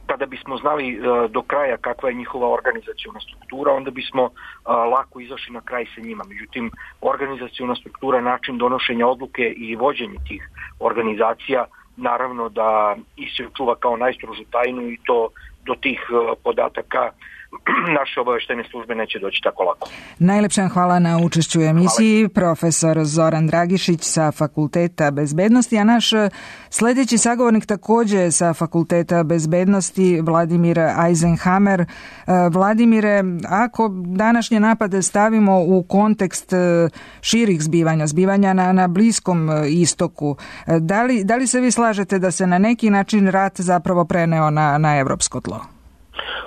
Kada bismo znali do kraja kakva je njihova organizaciona struktura, onda bismo lako izašli na kraj sa njima. Međutim, organizaciona struktura, način donošenja odluke i vođenje tih organizacija, naravno da ISIL čuva kao najstrožu tajnu i to do tih podataka naše obaveštene službe neće doći tako lako. Najlepša hvala na učešću u emisiji. Profesor Zoran Dragišić sa Fakulteta bezbednosti, a naš sledeći sagovornik takođe sa Fakulteta bezbednosti, Vladimir Eisenhammer. Vladimire, ako današnje napade stavimo u kontekst širih zbivanja na Bliskom istoku, da li se vi slažete da se na neki način rat zapravo preneo na evropsko tlo?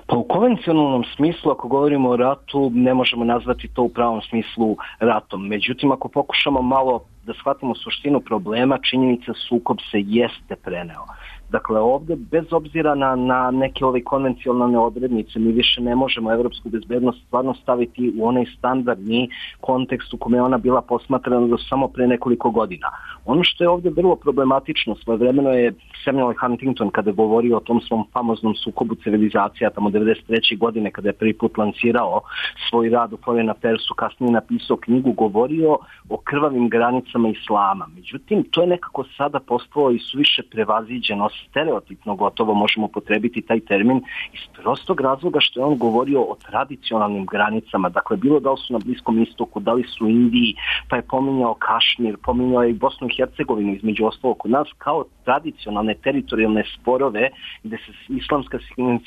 Pa u konvencionalnom smislu, ako govorimo o ratu, ne možemo nazvati to u pravom smislu ratom. Međutim, ako pokušamo malo da shvatimo suštinu problema, činjenica sukob se jeste preneo. Dakle, ovdje, bez obzira na neke ove konvencionalne odrednice, mi više ne možemo evropsku bezbednost stvarno staviti u onaj standardni kontekst u kome je ona bila posmatrana do samo pre nekoliko godina. Ono što je ovdje vrlo problematično, svojevremeno je Samuel Huntington, kada je govorio o tom svom famoznom sukobu civilizacija, tamo 1993. godine, kada je prvi put lancirao svoj rad u Foreign Affairsu, kasnije napisao knjigu, govorio o krvavim granicama islama. Međutim, to je nekako sada postalo i suviše prevaziđeno, stereotipno gotovo možemo upotrebiti taj termin, iz prostog razloga što je on govorio o tradicionalnim granicama, dakle bilo da li su na Bliskom istoku, da li su u Indiji, pa je pominjao Kašmir, pominjao je i Bosnu i Hercegovinu između ostalog kod nas kao tradicionalne teritorijalne sporove gde se islamska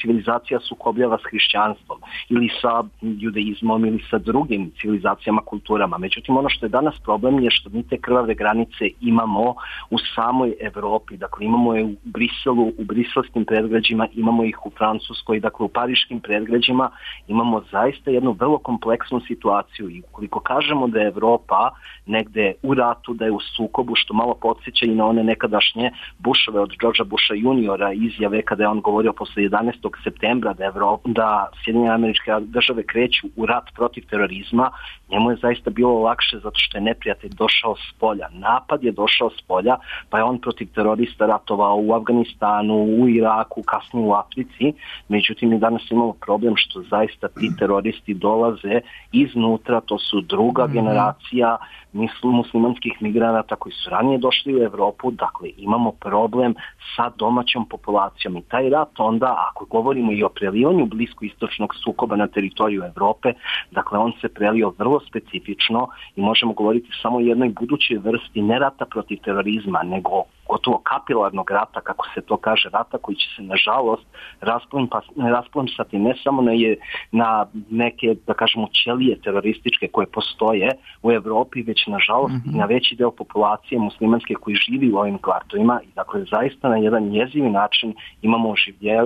civilizacija sukobljava s hrišćanstvom ili sa judaizmom ili sa drugim civilizacijama, kulturama. Međutim, ono što je danas problem je što mi te krvave granice imamo u samoj Evropi, dakle imamo je u Briselu, u briselskim predgrađima, imamo ih u Francuskoj, dakle u pariškim predgrađima, imamo zaista jednu vrlo kompleksnu situaciju i ukoliko kažemo da je Evropa negde u ratu, da je u sukobu, što malo podsjeća i na one nekadašnje Bushove od Georgea Busha juniora izjave kada je on govorio posle 11. septembra da Sjedinjene Američke Države kreću u rat protiv terorizma, njemu je zaista bilo lakše zato što je neprijatelj došao s polja. Napad je došao s polja, pa je on protiv terorista ratovao u Afganistanu, u Iraku, kasnije u Africi. Međutim, mi danas imamo problem što zaista ti teroristi dolaze iznutra, to su druga generacija muslimanskih migranata koji su ranije došli u Evropu, dakle imamo problem sa domaćom populacijom i taj rat onda, ako govorimo i o prelivanju bliskoistočnog sukoba na teritoriju Evrope, dakle on se prelio vrlo specifično i možemo govoriti samo o jednoj budućoj vrsti ne rata protiv terorizma, nego gotovo kapilarnog rata, kako se to kaže, rata koji će se nažalost rasplamsati ne samo na neke, da kažemo, ćelije terorističke koje postoje u Evropi, već nažalost i na veći deo populacije muslimanske koji živi u ovim kvartovima i dakle zaista na jedan jezivi način imamo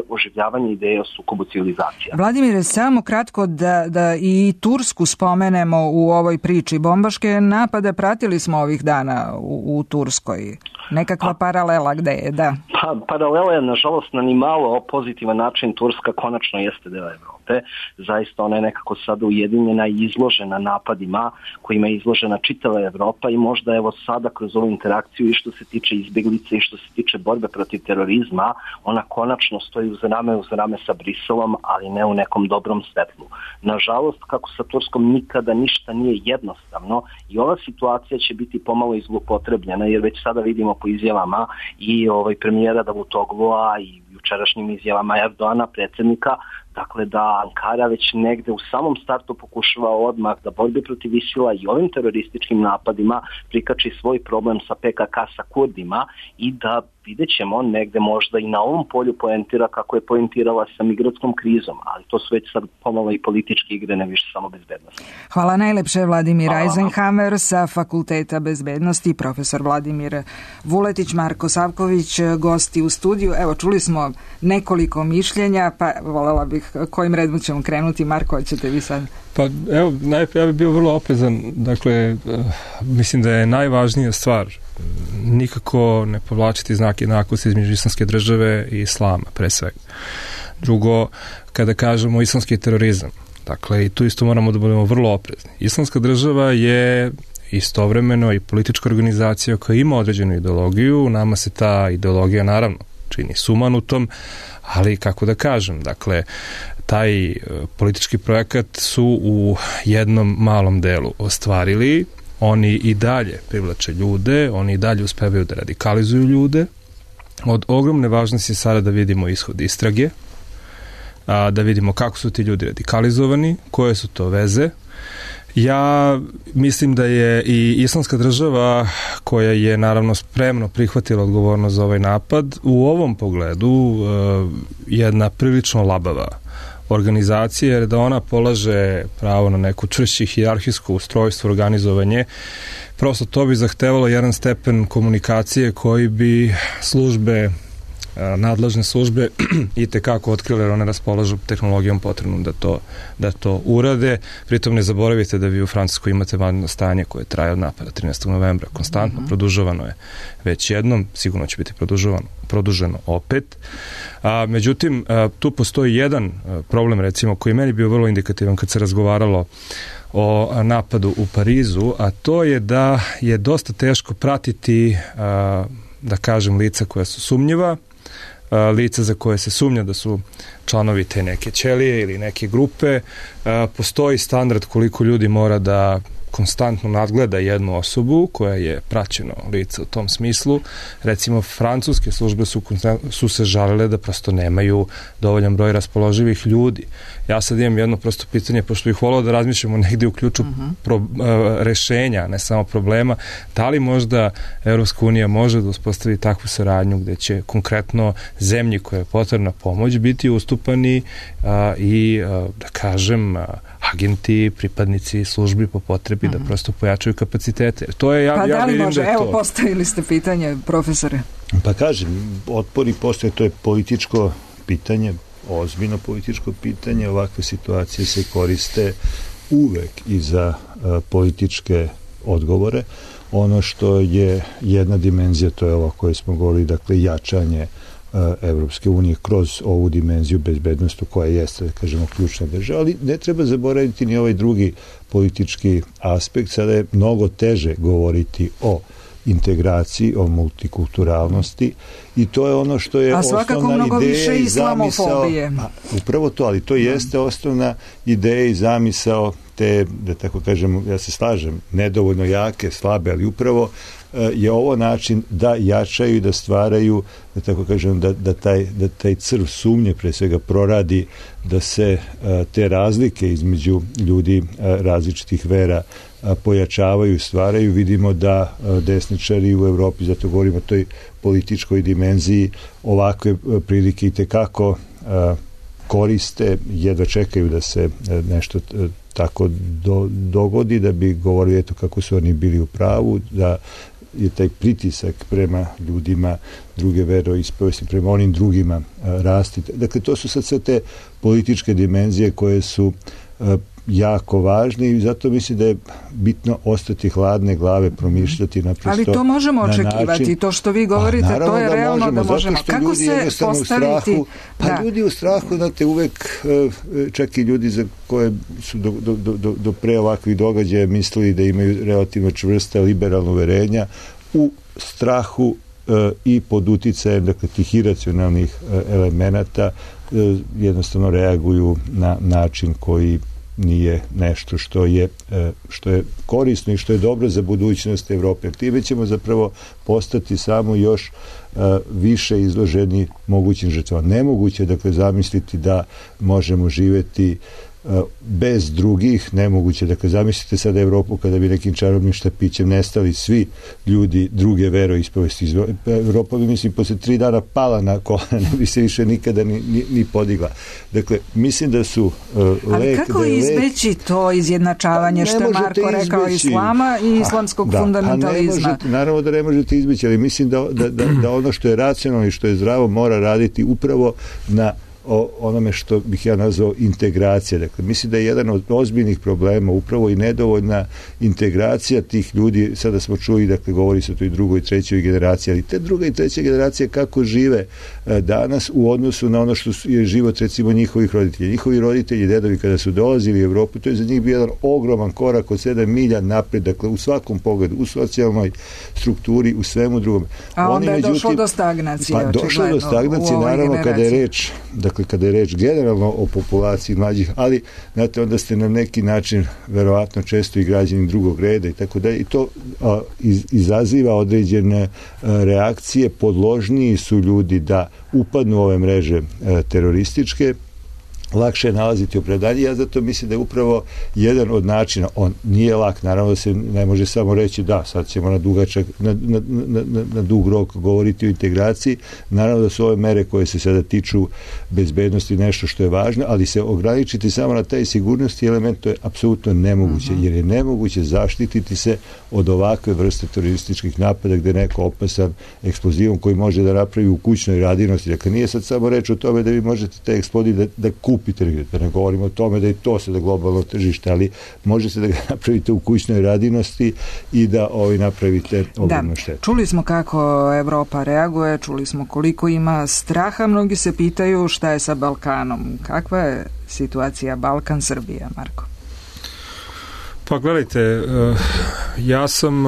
oživljavanje ideje o sukobu civilizacija. Vladimire, samo kratko da i Tursku spomenemo u ovoj priči. Bombaške napade pratili smo ovih dana u Turskoj. Nekakva paralela gde je, da. Paralela je, nažalost, na ni malo pozitivan način. Turska konačno jeste deo Evrope. Zaista ona je nekako sada ujedinjena i izložena napadima kojima je izložena čitava Evropa i možda evo sada kroz ovu interakciju i što se tiče izbjeglice i što se tiče borbe protiv terorizma, ona konačno stoji uz rame sa Briselom, ali ne u nekom dobrom svetlu. Nažalost, kako sa Turskom nikada ništa nije jednostavno i ova situacija će biti pomalo izlupotrebljena jer već sada vidimo po izjavama i premijera Davutoglua i jučerašnjim izjavama Erdoana, predsjednika, dakle da Ankara već negde u samom startu pokušava odmah da borbi protiv ISIL-a i ovim terorističkim napadima prikači svoj problem sa PKK, sa Kurdima i da vidjet ćemo negde možda i na ovom polju poentira kako je poentirala sa migratskom krizom, ali to su već sad pomalo i političke igre, ne više samo bezbednosti. Hvala najlepše, Vladimir Eisenhammer sa Fakulteta bezbednosti, profesor Vladimir Vuletić, Marko Savković, gosti u studiju. Evo, čuli smo nekoliko mišljenja, pa voljela bih kojim redom ćemo krenuti. Marko, hoćete vi sad? Pa evo, ja bih bio vrlo oprezan, dakle, mislim da je najvažnija stvar nikako ne povlačiti znak jednakosti između islamske države i islama, pre svega. Drugo, kada kažemo islamski terorizam, dakle, i tu isto moramo da budemo vrlo oprezni. Islamska država je istovremeno i politička organizacija koja ima određenu ideologiju, nama se ta ideologija naravno čini sumanutom, ali kako da kažem, dakle, taj politički projekat su u jednom malom delu ostvarili, oni i dalje privlače ljude, oni i dalje uspevaju da radikalizuju ljude. Od ogromne važnosti je sada da vidimo ishod istrage, da vidimo kako su ti ljudi radikalizovani, koje su to veze. Ja mislim da je i islamska država, koja je naravno spremno prihvatila odgovornost za ovaj napad, u ovom pogledu jedna prilično labava organizacija, jer da ona polaže pravo na neku čvršće hijerarhijsko ustrojstvo, organizovanje, prosto to bi zahtevalo jedan stepen komunikacije koji bi nadležne službe i tekako otkrile, jer one raspolažu tehnologijom potrebnom da to urade. Pritom ne zaboravite da vi u Francuskoj imate vanredno stanje koje traje od napada 13. novembra. Konstantno produžavano je već jednom, sigurno će biti produženo opet. Međutim, tu postoji jedan problem, recimo, koji je meni bio vrlo indikativan kad se razgovaralo o napadu u Parizu, a to je da je dosta teško pratiti, da kažem, lica koja su sumnjiva, lica za koje se sumnja da su članovi te neke ćelije ili neke grupe. Postoji standard koliko ljudi mora da konstantno nadgleda jednu osobu koja je praćeno lice u tom smislu. Recimo, francuske službe su se žalile da prosto nemaju dovoljan broj raspoloživih ljudi. Ja sad imam jedno prosto pitanje, pošto bih volao da razmišljamo negdje u ključu rešenja, ne samo problema. Da li možda Evropska unija može da uspostavi takvu saradnju gde će konkretno zemlji koja je potrebna pomoć biti ustupani i, da kažem, agenti, pripadnici službi po potrebi da prosto pojačaju kapacitete. To je, pa da li može? Evo, postavili ste pitanje, profesore. Pa kažem, otpori postoje, to je političko pitanje, ozbiljno političko pitanje. Ovakve situacije se koriste uvek i za političke odgovore. Ono što je jedna dimenzija, to je ova koju smo govorili, dakle, jačanje Evropske unije kroz ovu dimenziju bezbednosti koja jeste, da kažemo, ključna država, ali ne treba zaboraviti ni ovaj drugi politički aspekt. Sada je mnogo teže govoriti o integraciji, o multikulturalnosti i to je ono što je osnovna ideja i zamisao. Upravo to, ali to jeste osnovna ideja i zamisao te, da tako kažem, ja se slažem, nedovoljno jake, slabe, ali upravo je ovo način da jačaju i da stvaraju, da tako kažem, da taj crv sumnje pre svega proradi, da se te razlike između ljudi različitih vera pojačavaju, stvaraju. Vidimo da desničari u Evropi, zato govorimo o toj političkoj dimenziji, ovakve prilike i tekako koriste, jedva čekaju da se nešto tako dogodi, da bi govorili eto kako su oni bili u pravu, da je taj pritisak prema ljudima druge veroispovesti, prema onim drugima rasti. Dakle, to su sad sve te političke dimenzije koje su jako važne i zato mislim da je bitno ostati hladne glave, promišljati naprosto. Ali to možemo očekivati, to što vi govorite, to je realno da možemo. Kako se postaviti? Ljudi u strahu, znate, uvek, čak i ljudi za koje su do pre ovakvih događaja mislili da imaju relativno čvrsta liberalna uverenja, u strahu i pod uticajem, dakle, tih iracionalnih elemenata jednostavno reaguju na način koji nije nešto što je korisno i što je dobro za budućnost Evrope. Time ćemo zapravo postati samo još više izloženi mogućim žrtvama. Nemoguće, dakle, zamisliti da možemo živjeti bez drugih, nemoguće. Dakle, zamislite sada Evropu kada bi nekim čarobnim štapićem nestali svi ljudi druge veroispovesti. Evropa bi, mislim, posle 3 dana pala na kolena, ne bi se više nikada ni podigla. Dakle, mislim da su ali kako izbeći to izjednačavanje što je Marko rekao islama i islamskog fundamentalizma? Naravno da ne možete izbeći, ali mislim da ono što je racionalno i što je zdravo mora raditi upravo na onome što bih ja nazvao integracija. Dakle, mislim da je jedan od ozbiljnih problema upravo i nedovoljna integracija tih ljudi. Sada smo čuli, dakle, govori se o toj drugoj i trećoj generaciji, ali te druga i treća generacija kako žive danas u odnosu na ono što je život, recimo, njihovih roditelja. Njihovi roditelji, dedovi, kada su dolazili u Evropu, to je za njih bio jedan ogroman korak od 7 milja napred, dakle, u svakom pogledu, u socijalnoj strukturi, u svemu drugom. A onda je došlo do stagnacije. Pa došlo do stagnacije, naravno, kada je reč generalno o populaciji mlađih, ali znate, onda ste na neki način verovatno često i građani drugog reda i tako dalje, i to izaziva određene reakcije. Podložniji su ljudi da upadnu u ove mreže terorističke, lakše je nalaziti opravdanje. Ja zato mislim da je upravo jedan od načina, on nije lak, naravno da se ne može samo reći da, sad ćemo na dug rok govoriti o integraciji, naravno da su ove mere koje se sada tiču bezbednosti nešto što je važno, ali se ograničiti samo na taj sigurnosti element, to je apsolutno nemoguće, jer je nemoguće zaštititi se od ovakve vrste terorističkih napada gde neko opasan eksplozivom koji može da napravi u kućnoj radinosti. Dakle, nije sad samo reč o tome da vi možete taj eksplodij da kupite, da ne govorimo o tome da i to sada globalno tržište, ali može se da ga napravite u kućnoj radinosti i da napravite ogromnu štetu. Čuli smo kako Evropa reaguje, čuli smo koliko ima straha, mnogi se pitaju šta je sa Balkanom. Kakva je situacija Balkan-Srbija, Marko? Pa gledajte, ja sam,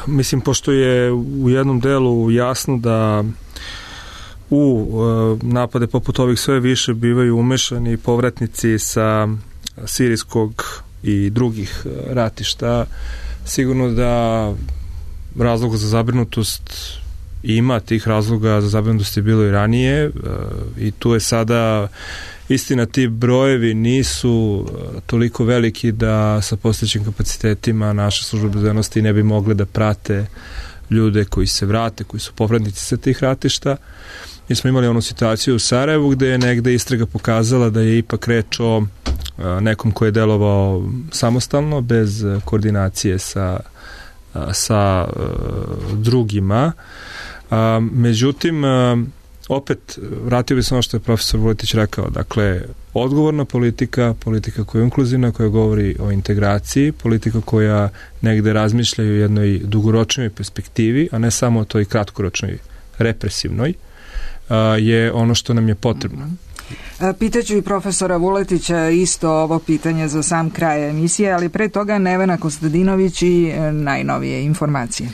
mislim, pošto je u jednom delu jasno da u napade poput ovih sve više bivaju umešani povratnici sa sirijskog i drugih ratišta, sigurno da razloga za zabrinutost ima, tih razloga za zabrinutost je bilo i ranije, i tu je sada istina, ti brojevi nisu toliko veliki da sa postojećim kapacitetima naše službe bezbednosti ne bi mogle da prate ljude koji se vrate, koji su povratnici sa tih ratišta. Mi smo imali onu situaciju u Sarajevu gde je negde istraga pokazala da je ipak reč o nekom koji je delovao samostalno, bez koordinacije sa drugima. Međutim, opet, vratio bi se ono što je profesor Vuletić rekao, dakle, odgovorna politika koja je inkluzivna, koja govori o integraciji, politika koja negde razmišlja o jednoj dugoročnoj perspektivi, a ne samo o toj kratkoročnoj represivnoj, je ono što nam je potrebno. Pitaću i profesora Vuletića isto ovo pitanje za sam kraj emisije, ali pre toga Nevena Kostadinović i najnovije informacije.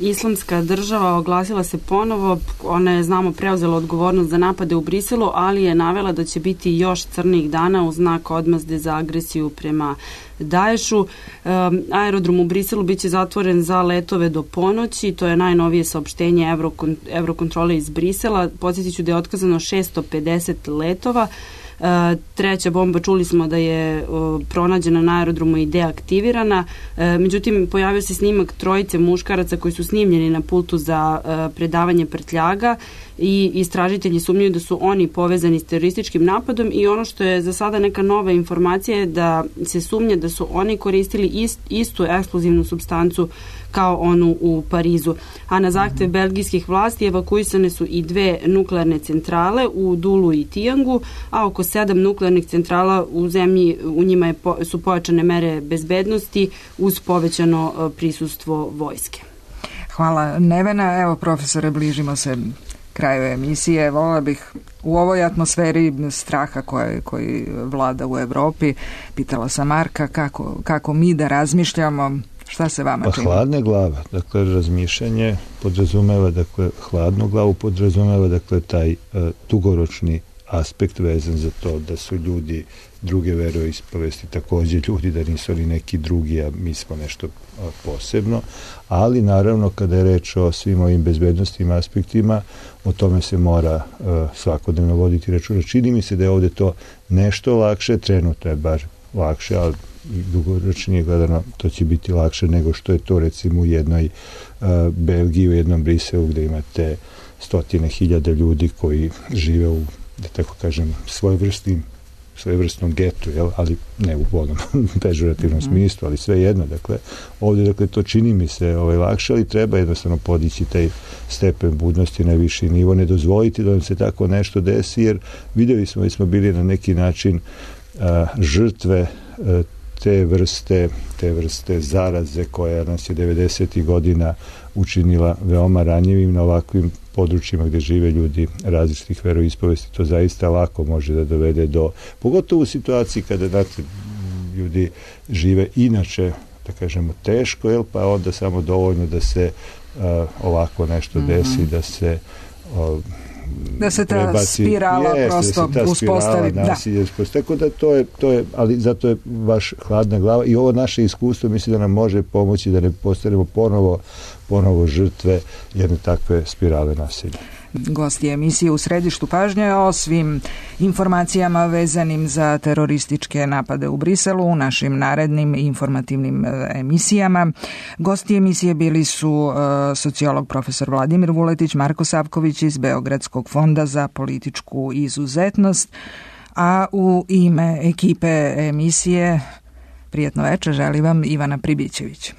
Islamska država oglasila se ponovo, ona je, znamo, preuzela odgovornost za napade u Briselu, ali je navela da će biti još crnih dana u znak odmazde za agresiju prema Daješu. Aerodrom u Briselu biće zatvoren za letove do ponoći, to je najnovije saopštenje Eurokontrole iz Brisela. Podsjetit ću da je otkazano 650 letova. Treća bomba, čuli smo da je pronađena na aerodromu i deaktivirana. Međutim, pojavio se snimak trojice muškaraca koji su snimljeni na pultu za predavanje prtljaga i istražitelji sumnjaju da su oni povezani s terorističkim napadom, i ono što je za sada neka nova informacija je da se sumnja da su oni koristili istu eksplozivnu supstancu kao onu u Parizu. A na zahtev belgijskih vlasti evakuisane su i 2 nuklearne centrale u Dulu i Tijangu, a oko 7 nuklearnih centrala u zemlji, u njima su pojačane mere bezbednosti uz povećano prisustvo vojske. Hvala, Nevena. Evo, profesore, bližimo se kraju emisije. Volila bih u ovoj atmosferi straha koji vlada u Evropi, pitala sam Marka kako mi da razmišljamo. Šta se vama čini? Hladna glava, dakle, razmišljanje podrazumeva, dakle, hladnu glavu podrazumeva, dakle, taj dugoročni aspekt vezan za to da su ljudi druge veroispovesti također ljudi, da nisu oni neki drugi, a mi smo nešto posebno, ali naravno kada je reč o svim ovim bezbednostnim aspektima, o tome se mora svakodnevno voditi računa. Čini mi se da je ovdje to nešto lakše, trenutno je bar lakše, ali dugoročnije gledano to će biti lakše nego što je to recimo u jednoj Belgiji, u jednom Briselu gdje imate 100.000 ljudi koji žive u, da tako kažem, svojevrsnom getu, jel? Ali ne u onom pežorativnom smislu, ali sve jedno. Dakle, ovdje dakle, to čini mi se lakše, ali treba jednostavno podići taj stepen budnosti na viši nivo, ne dozvoliti da nam se tako nešto desi, jer vidjeli smo da smo bili na neki način žrtve te vrste zaraze koja nas je 90. godina učinila veoma ranjivim na ovakvim područjima gdje žive ljudi različitih veroispovesti. To zaista lako može da dovede do, pogotovo u situaciji kada znate, ljudi žive inače, da kažemo, teško, jel, pa onda samo dovoljno da se ovako nešto desi, da se da se ta spirala prosto uspostavi. Tako da to je, ali zato je baš hladna glava i ovo naše iskustvo mislim da nam može pomoći da ne postanemo ponovo žrtve jedne takve spirale nasilja. Gosti emisije U središtu pažnje o svim informacijama vezanim za terorističke napade u Briselu u našim narednim informativnim emisijama. Gosti emisije bili su sociolog profesor Vladimir Vuletić, Marko Savković iz Beogradskog fonda za političku izuzetnost, a u ime ekipe emisije prijatno večer želi vam Ivana Pribićević.